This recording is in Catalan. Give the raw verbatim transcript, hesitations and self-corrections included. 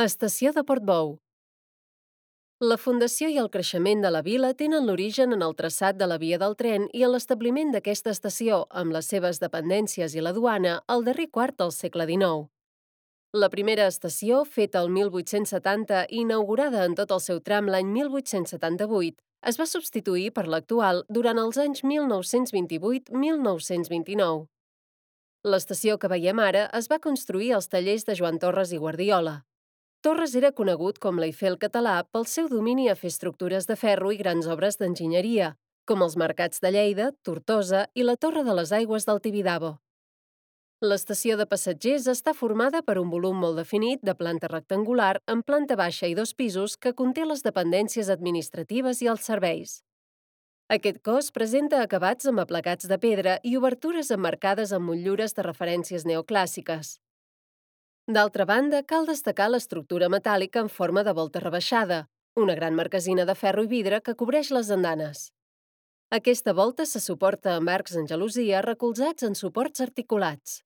Estació de Portbou. La fundació i el creixement de la vila tenen l'origen en el traçat de la via del tren i en l'establiment d'aquesta estació, amb les seves dependències i la duana, al darrer quart del segle dinou. La primera estació, feta el mil vuit-cents setanta i inaugurada en tot el seu tram l'any mil vuit-cents setanta-vuit, es va substituir per l'actual durant els anys mil nou-cents vint-i-vuit a mil nou-cents vint-i-nou. L'estació que veiem ara es va construir als tallers de Joan Torres i Guardiola. Torres era conegut com l'Eiffel català pel seu domini a fer estructures de ferro i grans obres d'enginyeria, com els mercats de Lleida, Tortosa i la Torre de les Aigües del Tibidabo. L'estació de passatgers està formada per un volum molt definit de planta rectangular amb planta baixa i dos pisos que conté les dependències administratives i els serveis. Aquest cos presenta acabats amb aplacats de pedra i obertures emmarcades amb motllures de referències neoclàssiques. D'altra banda, cal destacar l'estructura metàl·lica en forma de volta rebaixada, una gran marquesina de ferro i vidre que cobreix les andanes. Aquesta volta se suporta amb arcs en gelosia recolzats en suports articulats.